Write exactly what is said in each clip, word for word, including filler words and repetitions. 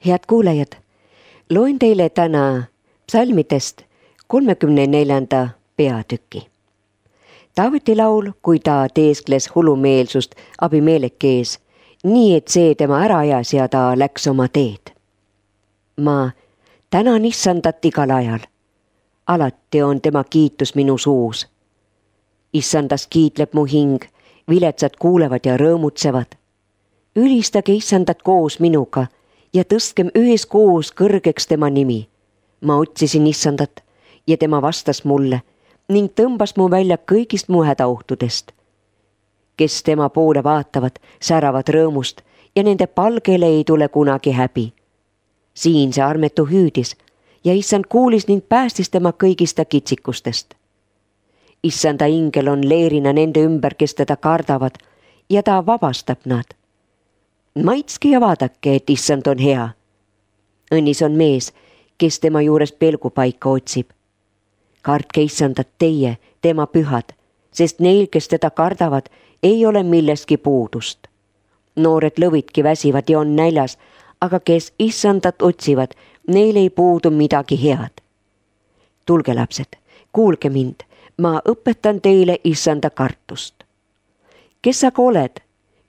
Head kuulajad, loen teile täna psalmidest kolmekümne neljanda peatüki. Taaveti laul, kui ta teeskles hullumeelsust Abimeleki ees, nii et see tema ära ajas ja ta läks oma teed. Ma tänan Issandat igal ajal. Alati on tema kiitus minu suus. Issandast kiitleb mu hing, viletsad kuulevad ja rõõmutsevad. Ülistage Issandat koos minuga ja tõstkem üheskoos kõrgeks tema nimi. Ma otsisin Issandat ja tema vastas mulle ning tõmbas mu välja kõigist mu hädaohtudest. Kes tema poole vaatavad, säravad rõõmust ja nende palgele ei tule kunagi häbi. Siin see armetu hüüdis ja Issand kuulis ning päästis tema kõigista kitsikustest. Issanda ingel on leerina nende ümber, kes teda kardavad ja ta vabastab nad. Maitske ja vaadake, et Issand on hea. Õnnis on mees, kes tema juures pelgupaika otsib. Kartke Issandat teie, tema pühad, sest neil, kes teda kardavad, ei ole millestki puudust. Noored lõvidki väsivad ja on näljas, aga kes Issandat otsivad, neil ei puudu midagi head. Tulge lapsed, kuulge mind, ma õpetan teile Issanda kartust. Kes aga oled,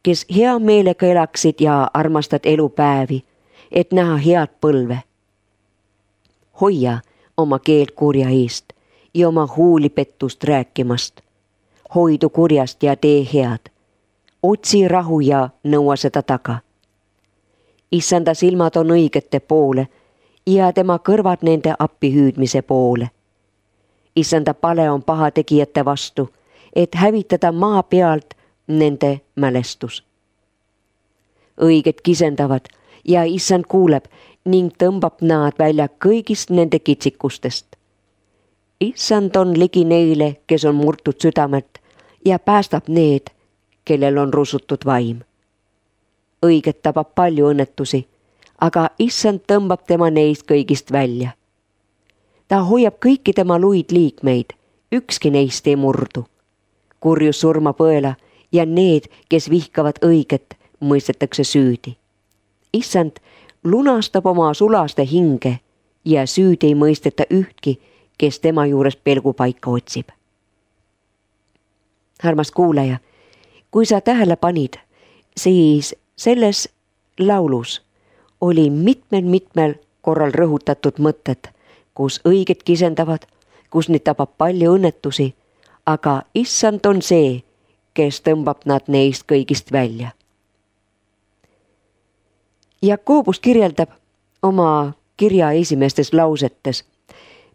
kes hea meelega elaksid ja armastad elupäevi, et näha head põlve? Hoia oma keelt kurja eest ja oma huuli pettust rääkimast. Hoidu kurjast ja tee head. Otsi rahu ja nõua seda taga. Issanda silmad on õigete poole ja tema kõrvad nende appihüüdmise poole. Issanda pale on pahategijate vastu, et hävitada maa pealt nende mälestus. Õiged kisendavad ja Issand kuuleb ning tõmbab nad välja kõigist nende kitsikustest. Issand on ligi neile, kes on murtud südamet ja päästab need, kellel on rusutud vaim. Õiget tabab palju õnnetusi, aga Issand tõmbab tema neist kõigist välja. Ta hoiab kõiki tema luid liikmeid, ükski neist ei murdu. Kurjus surma põela ja need, kes vihkavad õiget, mõistetakse süüdi. Issand lunastab oma sulaste hinge ja süüdi ei mõisteta ühtki, kes tema juures pelgupaika otsib. Armas kuulaja, kui sa tähele panid, siis selles laulus oli mitmel-mitmel korral rõhutatud mõtted, kus õiged kisendavad, kus neid tabab palju õnnetusi, aga Issand on see, kes tõmbab nad neist kõigist välja. Jakobus kirjeldab oma kirja esimestes lausetes: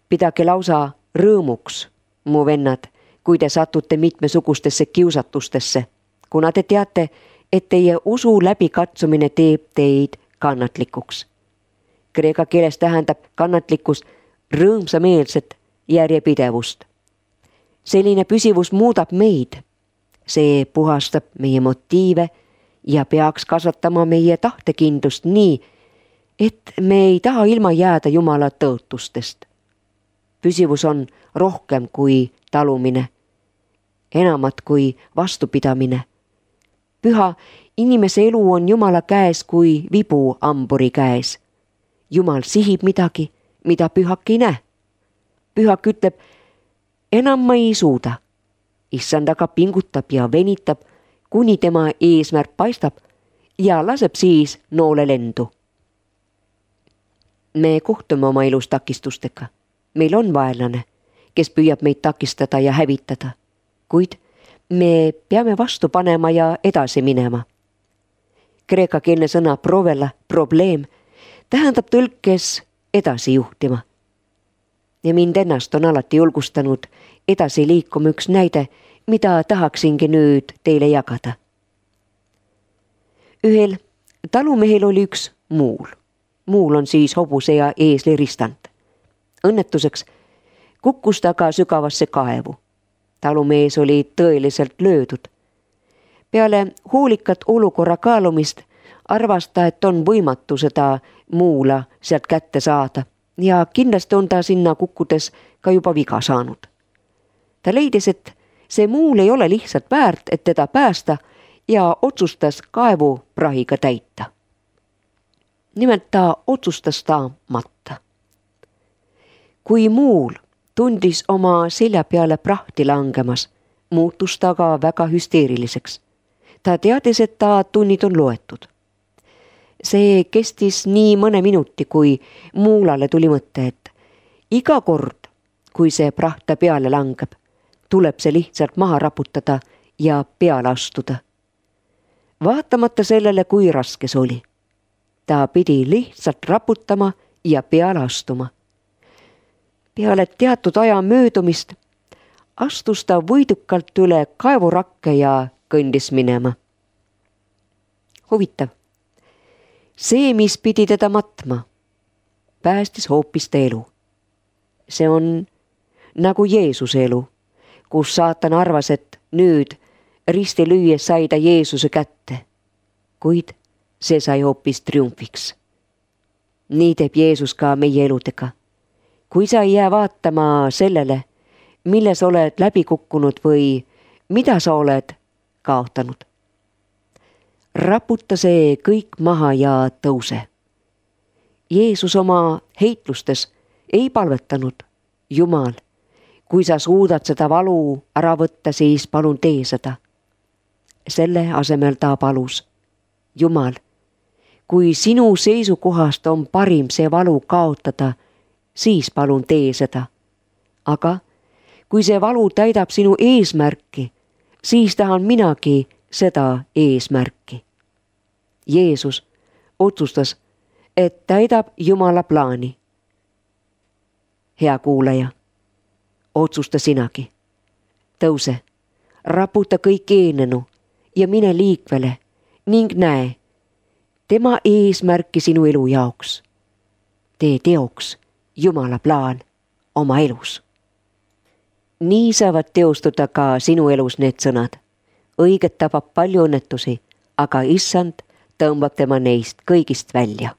pidage lausa rõõmuks, mu vennad, kui te satute mitmesugustesse kiusatustesse, kuna te teate, et teie usu läbikatsumine teeb teid kannatlikuks. Kreeka keeles tähendab kannatlikkus rõõmsameelset järjepidevust. Selline püsivus muudab meid. See puhastab meie motiive ja peaks kasvatama meie tahtekindlust nii, et me ei taha ilma jääda Jumala tõotustest. Püsivus on rohkem kui talumine, enamat kui vastupidamine. Püha inimese elu on Jumala käes kui vibu amburi käes. Jumal sihib midagi, mida pühak ei näe. Pühak ütleb, enam ma ei suuda. Issand aga pingutab ja venitab, kuni tema eesmärk paistab ja laseb siis noole lendu. Me kohtume oma elus takistustega. Meil on vaenlane, kes püüab meid takistada ja hävitada, kuid me peame vastu panema ja edasi minema. Kreekakeelne sõna provela, probleem, tähendab tõlkes edasi juhtima. Ja mind ennast on alati julgustanud edasi liikuma üks näide, mida tahaksingi nüüd teile jagada. Ühel talumehel oli üks muul. Muul on siis hobuse ja eesli ristand. Õnnetuseks kukkus ta ka sügavasse kaevu. Talumees oli tõeliselt löödud. Peale hoolikat olukorra kaalumist arvas ta, et on võimatu seda muula sealt kätte saada ja kindlasti on ta sinna kukkudes ka juba viga saanud. Ta leidis, et see muul ei ole lihtsalt väärt, et teda päästa ja otsustas kaevu prahiga täita. nimelt ta otsustas ta matta. Kui muul tundis oma selja peale prahti langemas, muutus ta ka väga hüsteeriliseks. Ta teadis, et ta tunnid on loetud. See kestis nii mõne minuti, kui muulale tuli mõte, et iga kord, kui see praht ta peale langeb, tuleb see lihtsalt maha raputada ja peale astuda. Vaatamata sellele, kui raske see oli. Ta pidi lihtsalt raputama ja peale astuma. Peale teatud aja möödumist astus ta võidukalt üle kaevurakke ja kõndis minema. Huvitav. See, mis pidi teda matma, päästis hoopis ta elu. See on nagu Jeesuse elu, kus saatan arvas, et nüüd risti lüües sai ta Jeesuse kätte, kuid see sai hoopis triumfiks. Nii teeb Jeesus ka meie eludega. Kui sa ei jää vaatama sellele, milles oled läbi kukkunud või mida sa oled kaotanud. Raputa see kõik maha ja tõuse. Jeesus oma heitlustes ei palvetanud, Jumal, kui sa suudad seda valu ära võtta, siis palun tee seda. Selle asemel ta palus, Jumal, kui sinu seisukohast on parim see valu kaotada, siis palun tee seda. Aga kui see valu täidab sinu eesmärki, siis tahan minagi seda eesmärki. Jeesus otsustas, et täidab Jumala plaani. Hea kuulaja, otsusta sinagi. Tõuse, raputa kõik eenenu ja mine liikvele ning näe tema eesmärki sinu elu jaoks. Tee teoks Jumala plaan oma elus. Nii saavad teostuda ka sinu elus need sõnad. Õiget tabab palju õnnetusi, aga issand tõmbab tema neist kõigist välja.